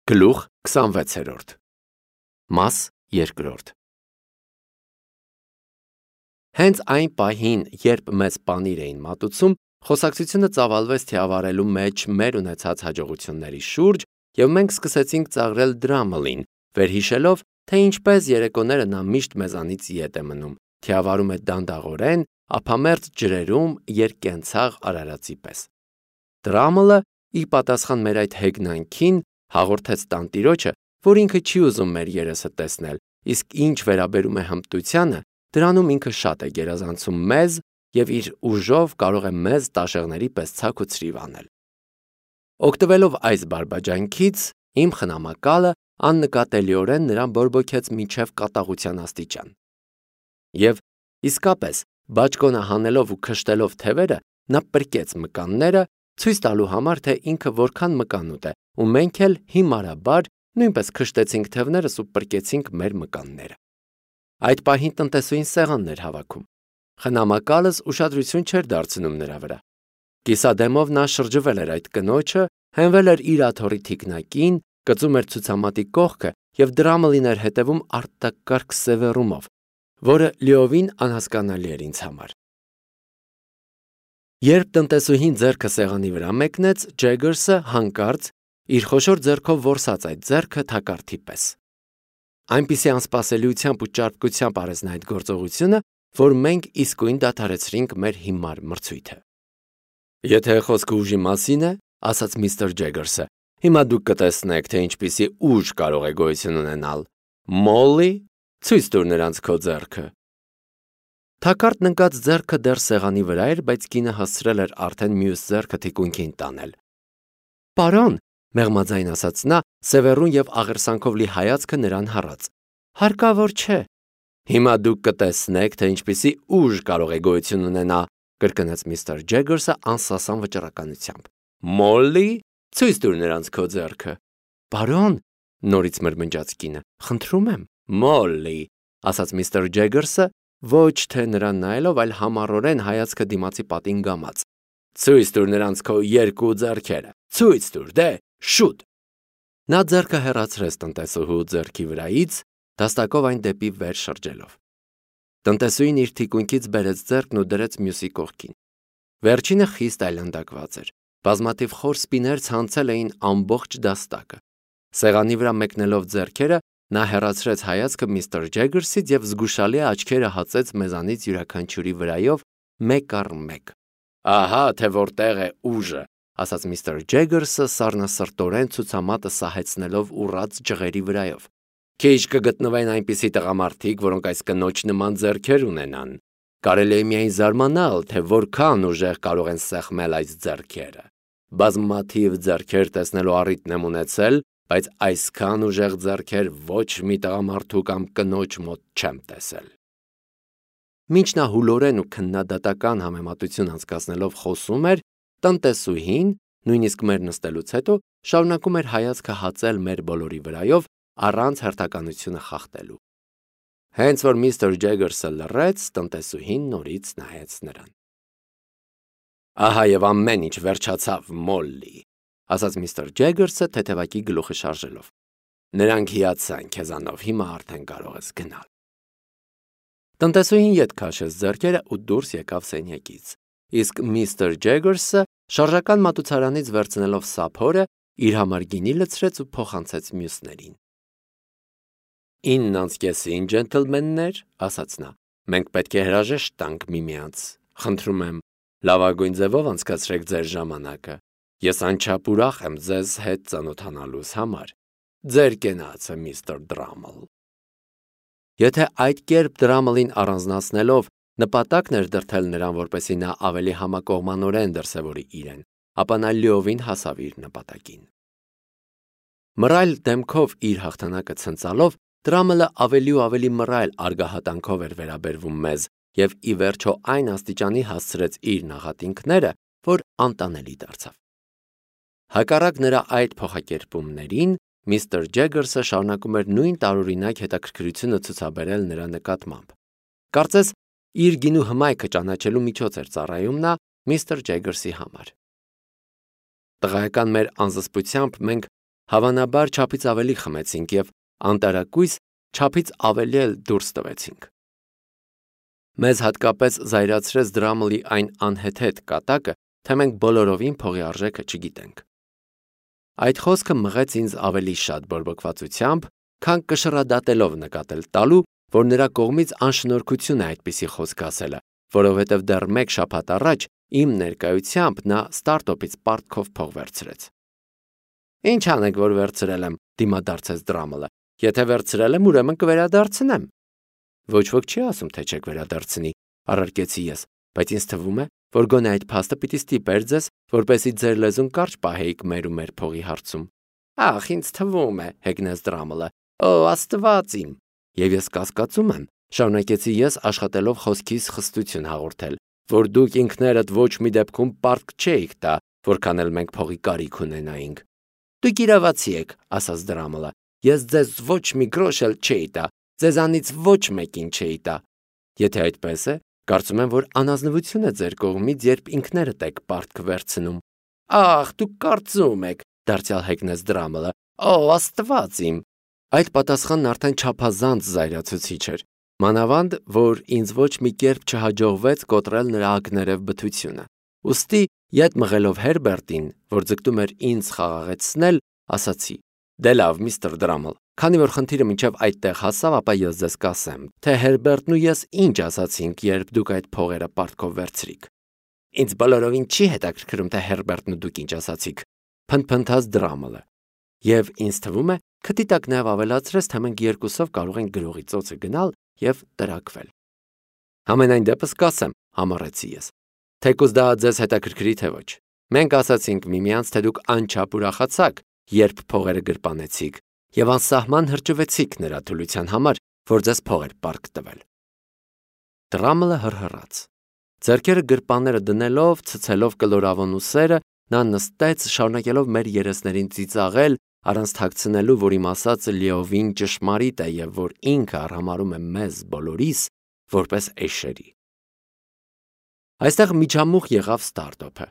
Գլուխ 26 Մաս 2 Հենց այն պահին, երբ մեզ պանիր էին մատուցում, խոսակցությունը ծավալվեց թիավարելու մեջ մեր ունեցած հաջողությունների շուրջ, և մենք սկսեցինք ծաղրել Դրամլին, վերհիշելով, թե ինչպես երեկոները նա միշտ մեզանից ետ է մնում, թիավարում է դանդաղորեն, ափամերձ ջրերում երկկենցաղ արարածի պես։ Դրամլը, ի պատասխան մեր այդ հեգնանքին, հաղորդեց տանտիրոջը, որ ինքը չի ուզում մեր երեսը տեսնել, իսկ ինչ վերաբերում է հմտությանը, դրանում ինքը շատ է գերազանցում մեզ և իր ուժով կարող է մեզ տաշեղների պես ցաք ու ցրիվ անել։ Օգտվելով այս բարբաջանքից, իմ խնամակալը աննկատելիորեն նրան բորբոքեց մինչև կատաղության աստիճան։ Եվ իսկապես, բաճկոնը հանելով ու քշտելով թևերը, նա պրկեց մկանները, ցույց տալու համար, թե ինքը որքան մկանուտ է, ու մենք էլ հիմարաբար նույնպես քշտեցինք թևներս ու պրկեցինք մեր մկանները։ Այդ պահին տնտեսուհին սեղանն էր հավաքում։ Խնամակալս ուշադրություն չէր դարձնում նրա վրա։ Կիսադեմով նա շրջվել էր այդ կնոջը, հենվել էր իր աթոռի թիկնակին, կծում էր ցուցամատի կողքը և Դրամլին էր հետևում արտակարգ սևեռումով, որը լիովին անհասկանալի էր ինձ համար։ Երբ տնտեսուհին ձեռքը սեղանի վրա մեկնեց, Ջեգերսը հանկարծ իր խոշոր ձեռքով որսաց այդ ձեռքը թակարդի պես։ Այնպիսի անսպասելիությամբ ու ճարպկությամբ արեց նա այդ գործողությունը, որ մենք իսկույն դադարեցրինք մեր հիմար մրցույթը։ Եթե խոսքը ուժի մասին է, ասաց միստր Ջեգերսը, հիմա դուք կտեսնեք, թե ինչպիսի ուժ կարող է գոյություն ունենալ։ Մոլլի, ցույց տուր նրանց քո ձեռքը։ Թակարդն ընկած ձեռքը դեռ սեղանի վրա էր, բայց կինը հասցրել էր արդեն մյուս ձեռքը թիկունքին տանել։ Պարոն, մեղմաձայն ասաց նա, սևեռուն և աղերսանքով լի հայացքը նրան հառած։ Հարկավոր չէ։ Հիմա դուք կտեսնեք, թե ինչպիսի ուժ կարող է գոյություն ունենա, կրկնեց միստր Ջեգերսը անսասան վճռականությամբ։ Մոլլի, ցույց տուր նրանց քո ձեռքը։ Պարոն, նորից մրմնջաց կինը, խնդրում եմ։ Մոլլի, ասաց միստր Ջեգերսը, ոչ թե նրան նայելով, այլ համառորեն հայացքը դիմացի պատին գամած։ Ցույց տուր նրանց քո երկու ձեռքերը։ Ցույց տուր, դե, շուտ։ Նա ձեռքը հեռացրեց տնտեսուհու ձեռքի վրայից, դաստակով այն դեպի վեր շրջելով։ Տնտեսուհին իր թիկունքից բերեց ձեռքն ու դրեց մյուսի կողքին։ Վերջինը խիստ այլանդակված էր։ Բազմաթիվ խոր սպիներ ցանցել էին ամբողջ դաստակը։ Սեղանի վրա մեկնելով ձեռքերը, նա հեռացրեց հայացքը միստր Ջեգերսից և զգուշալի աչքերը հացեց մեզանից յուրաքանչյուրի վրայով մեկ առ մեկ։ Ահա թե որտեղ է ուժը, ասաց միստր Ջեգերսը սառնասրտորեն ցուցամատը սահեցնելով ուռած ջղերի վրայով։ Քիչ կգտնվեն այնպիսի տղամարդիկ, որոնք այս կնոջ նման ձեռքեր ունենան։ Կարելի է միայն զարմանալ, թե որքան ուժեղ կարող են սեղմել այս ձեռքերը։ Բազմաթիվ ձեռքեր տեսնելու առիթն եմ ունեցել, բայց այսքան ուժեղ ձեռքեր ոչ մի տղամարդու կամ կնոջ մոտ չեմ տեսել։ Մինչ նա հուլորեն ու քննադատական համեմատություն անցկացնելով խոսում էր, տնտեսուհին, նույնիսկ մեր նստելուց հետո, շարունակում էր հայացքը հացել մեր բոլորի վրայով, առանց հերթականությունը խախտելու։ Հենց որ միստր Ջեգերսը լռեց, տնտեսուհին նորից նայեց նրան։ Ահա և ամեն ինչ վերջացավ, Մոլլի, ասաց միստր Ջեգերսը թեթևակի գլուխը շարժելով։ Նրանք հիացան քեզանով, հիմա արդեն կարող ես գնալ։ Տնտեսուհին ետ քաշեց ձեռքերը ու դուրս եկավ սենյակից, իսկ միստր Ջեգերսը, շարժական մատուցարանից վերցնելով սափորը, իր համար գինի լցրեց ու փոխանցեց մյուսներին։ 9:30, ջենտլմեններ, ասաց նա, մենք պետք է հրաժեշտ տանք միմյանց, խնդրում եմ, լավագույն ձևով անցկացրեք ձեր ժամանակը, ես անչափ ուրախ եմ ձեզ հետ ծանոթանալուս համար, ձեր կենացը միստր Դրամլ։ Եթե այդ կերպ Դրամլին առանձնացնելով նպատակն էր դրդել նրան, որպեսզի նա ավելի համակողմանորեն դրսևորի իրեն, ապա նա լիովին հասավ իր նպատակին։ Մռայլ դեմքով իր հաղթանակը ցնծալով, Դրամլը ավելի ու ավելի մռայլ արգահատանքով էր վերաբերվում մեզ և ի վերջո այն աստիճանի հասցրեց իր նախատինքները, որ անտանելի դարձավ։ Հակառակ նրա այդ փոխակերպումներին, միստր Ջեգերսը շարունակում էր նույն տարօրինակ հետաքրքրությունը ցուցաբերել նրա նկատմամբ։ Կարծես իր գինու հմայքը ճանաչելու միջոց էր ծառայում նա միստր Ջեգերսի համար։ Տղայական մեր անզսպությամբ մենք Հավանաբար չափից ավելի խմեցինք և անտարակույս չափից ավելի էլ դուրս տվեցինք։ Մեզ հատկապես զայրացրեց Դրամլի այն անհեթեթ կատակը, թե մենք բոլորովին փողի արժեքը չգիտենք։ Այդ խոսքը մղեց ինձ ավելի շատ բորբոքվածությամբ, քան կշռադատելով նկատել տալու, որ նրա կողմից անշնորհքություն է այդպիսի խոսք ասելը, որովհետև դեռ մեկ շաբաթ առաջ իմ ներկայությամբ նա ստարտոպից պարտքով փող վերցրեց։ Ինչ անեք, որ վերցրել եմ, դիմադարձեց Դրամլը։ Եթե վերցրել եմ, ուրեմն կվերադարձնեմ։ Ոչ ոք չի ասում, թե չեք վերադարձնի, առարկեցի ես, բայց ինձ թվում է, որ գոնե այդ փաստը պիտի ստիպեր ձեզ, որպեսզի ձեր լեզուն կարճ պահեիք մեր ու մեր փողի հարցում։ Ախ, ինձ թվում է, հեգնեց Դրամլը։ Օ, Աստված իմ։ Եվ ես կասկածում եմ, շարունակեցի ես աշխատելով խոսքիս խստություն հաղորդել, որ դուք ինքներդ ոչ մի դեպքում պարտք չէիք տա, որքան էլ մենք փողի կարիք ունենայինք։ Դուք իրավացի եք, ասաց Դրամլը։ Ես ձեզ ոչ մի գրոշ էլ չէի տա, ձեզանից ոչ մեկին չէի տա։ Եթե այդպես է, կարծում եմ, որ անազնվություն է ձեր կողմից, երբ ինքներդ եք պարտք վերցնում։ Ախ, դուք կարծում եք, դարձյալ հեգնեց Դրամլը։ Օ, Աստված իմ։ Այդ պատասխանն արդեն չափազանց զայրացուցիչ էր, մանավանդ, որ ինձ ոչ մի կերպ չհաջողվեց կոտրել նրա ակներև բթությունը։ Ուստի, ետ մղելով Հերբերտին, որ ձգտում էր ինձ խաղաղեցնել, ասացի. Դե լավ, միստր Դրամլ, քանի որ խնդիրը մինչև այդտեղ հասավ, ապա ես ձեզ կասեմ, թե Հերբերտն ու ես ինչ ասացինք, երբ դուք այդ փողերը պարտքով վերցրիք։ Ինձ բոլորովին չի հետաքրքրում, թե Հերբերտն ու դուք ինչ ասացիք, փնթփնթաց Դրամլը։ Եվ ինձ թվում է, քթի տակ նաև ավելացրեց, թե մենք երկուսով կարող ենք գրողի ծոցը գնալ և տրաքվել։ Համենայն դեպս կասեմ, համառեցի ես, թեկուզ դա ձեզ հետաքրքրի թե ոչ։ Մենք ասացինք միմյանց, թե դուք անչափ ուրախացաք, երբ փողերը գրպանեցիք, և անսահման հրճվեցիք նրա թուլության համար, որ ձեզ փող էր պարտք տվել։ Դրամլը հռհռաց։ Ձեռքերը գրպանները դնելով, ցցելով կլորավուն ուսերը, նա նստեց, շարունակելով մեր երեսներին ծիծաղել, առանց թաքցնելու, որ իմ ասածը լիովին ճշմարիտ է և որ ինքը արհամարհում է մեզ բոլորիս որպես էշերի։ Այստեղ միջամուխ եղավ ստարտոփը։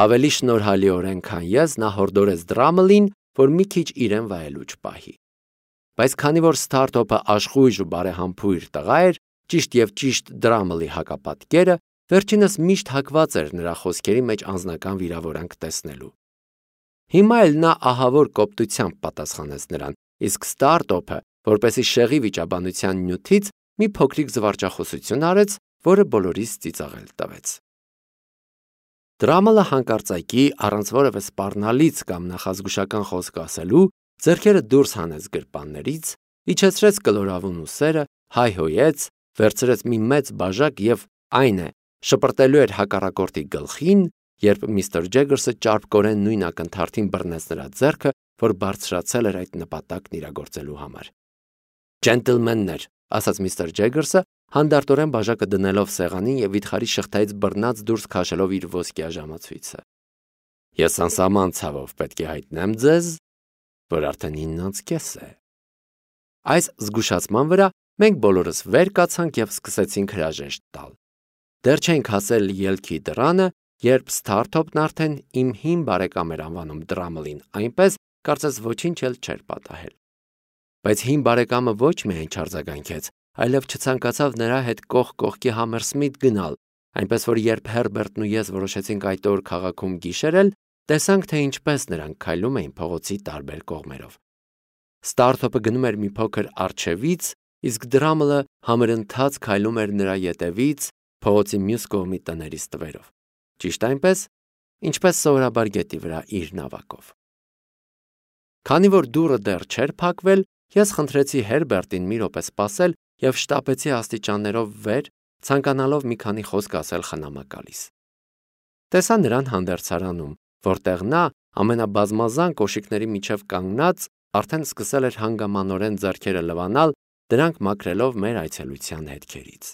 Ավելի շնորհալիորեն, քան ես, նա հորդորեց Դրամլին, որ մի քիչ իրեն վայելուչ պահի։ Բայց քանի որ ստարտոփը աշխույժ ու բարեհամբույր տղա էր, ճիշտ և ճիշտ Դրամլի հակապատկերը, վերջինս միշտ հակված էր նրա խոսքերի մեջ անձնական վիրավորանք տեսնելու։ Հիմա էլ նա ահավոր կոպտությամբ պատասխանեց նրան, իսկ ստարտոփը, որպեսզի շեղի վիճաբանության նյութից, մի փոքրիկ զվարճախոսություն արեց, որը բոլորիս ծիծաղել տվեց։ Դրամլը հանկարծակի, առանց որևէ սպառնալից կամ նախազգուշական խոսք ասելու, ձեռքերը դուրս հանեց գրպաններից, իջեցրեց կլորավուն ուսերը, հայհոյեց, վերցրեց մի մեծ բաժակ և, այն է, շպրտելու էր հակառակորդի գլխին, երբ միստր Ջեգերսը ճարպկորեն նույն ակնթարթին բռնեց նրա ձեռքը, որ բարձրացել էր այդ նպատակն իրագործելու համար։ Ջենտլմեններ, ասաց միստր Ջեգերսը, հանդարտորեն բաժակը դնելով սեղանին և վիթխարի շղթայից բռնած դուրս քաշելով իր ոսկյա ժամացույցը։ Ես անսահման ցավով պետք է հայտնեմ ձեզ, որ արդեն 9:30 է։ Այս զգուշացման վրա մենք բոլորս վեր կացանք և սկսեցինք հրաժեշտ տալ։ Դեռ չենք հասել ելքի դռանը, երբ ստարտոփն արդեն իմ հին բարեկամ էր անվանում Դրամլին, այնպես, կարծես ոչինչ էլ չէր պատահել։ Բայց հին բարեկամը ոչ միայն չարձագանքեց, այլև չցանկացավ նրա հետ կողք կողքի Համերսմիթ գնալ, այնպես որ երբ Հերբերտն ու ես որոշեցինք այդ օր քաղաքում գիշերել, տեսանք, թե ինչպես նրանք քայլում էին փողոցի տարբեր կողմերով։ Ստարտոփը գնում էր մի փոքր առջևից, իսկ Դրամլը համրընթաց քայլում էր նրա ետևից փողոցի մյուս կողմի տների ստվերով։ Ճիշտ այնպես, ինչպես սովորաբար գետի վրա իր նավակով։ Քանի որ դուռը դեռ չէր փակվել, ես խնդրեցի Հերբերտին մի րոպե սպասել և շտապեցի աստիճաններով վեր, ցանկանալով մի քանի խոսք ասել խնամակալիս։ Տեսա նրան հանդերձարանում, որտեղ նա ամենաբազմազան կոշիկների միջև կանգնած արդեն սկսել էր հանգամանորեն ձեռքերը լվանալ, դրանք մաքրելով մեր այցելության հետքերից։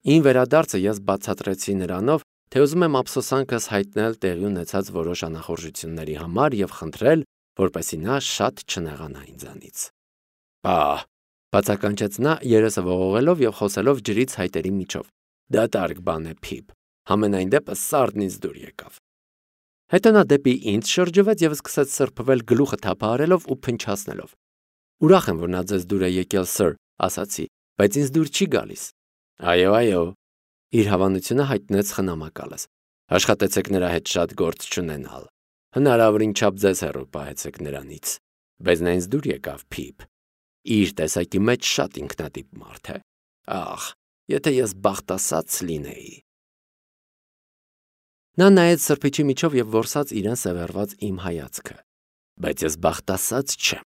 Ին վերադարձը ես բացատրեցի նրանով, թե ուզում եմ ափսոսանքս հայտնել տեղի ունեցած որոշ անախորժությունների համար և խնդրել, որպեսզի նա շատ չնեղանա ինձանից։ Պահ, բացականչեց նա երեսը ողողելով և խոսելով ջրից հայտերի միջով։ Դատարկ բան է, Փիփ, համենայն դեպս սառն ինձ դուր եկավ։ Հետո նա դեպի ինձ շրջվեց եւ սկսեց սրբվել գլուխը թափահարելով ու փնչացնելով։ Ուրախ եմ, որ նա ձեզ դուր է եկել, սըր, ասացի, բայց ինձ դուր չի գալիս։ Այո, իր հավանությունը հայտնեց խնամակալս։ Աշխատեցեք նրա հետ շատ գործ չունենալ։ Հնարավորին չափ ձեզ հեռու պահեցեք նրանից։ Բայց նա ինձ դուր եկավ, Փիփ։ Իր տեսակի մեջ շատ ինքնատիպ մարդ է։ Ախ, եթե ես բախտասաց լինեի։ Նա նայեց սրբիչի միջով եւ որսաց իրեն սևեռված իմ հայացքը։ Բայց ես բախտասաց չեմ,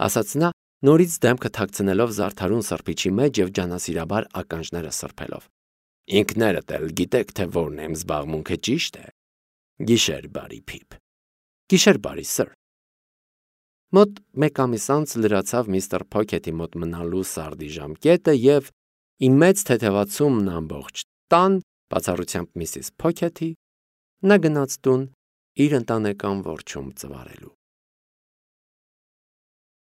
ասաց նա, նորից դեմքը թաքցնելով զարդարուն սրբիչի մեջ եւ ջանասիրաբար ականջները սրբելով։ Ինքներդ էլ գիտեք, թե որն եմ զբաղմունքը, ճիշտ է։ Գիշեր բարի, Փիփ։ Գիշեր բարի, սըր։ Մոտ 1 ամիս անց լրացավ միստր Փոքեթի մոտ մնալու սարդի ժամկետը եւ իմ մեծ թեթևացումն ամբողջ տան, բացառությամբ Միսիս Փոքեթի, նա գնաց տուն իր ընտանեկան որջում ծվարելու։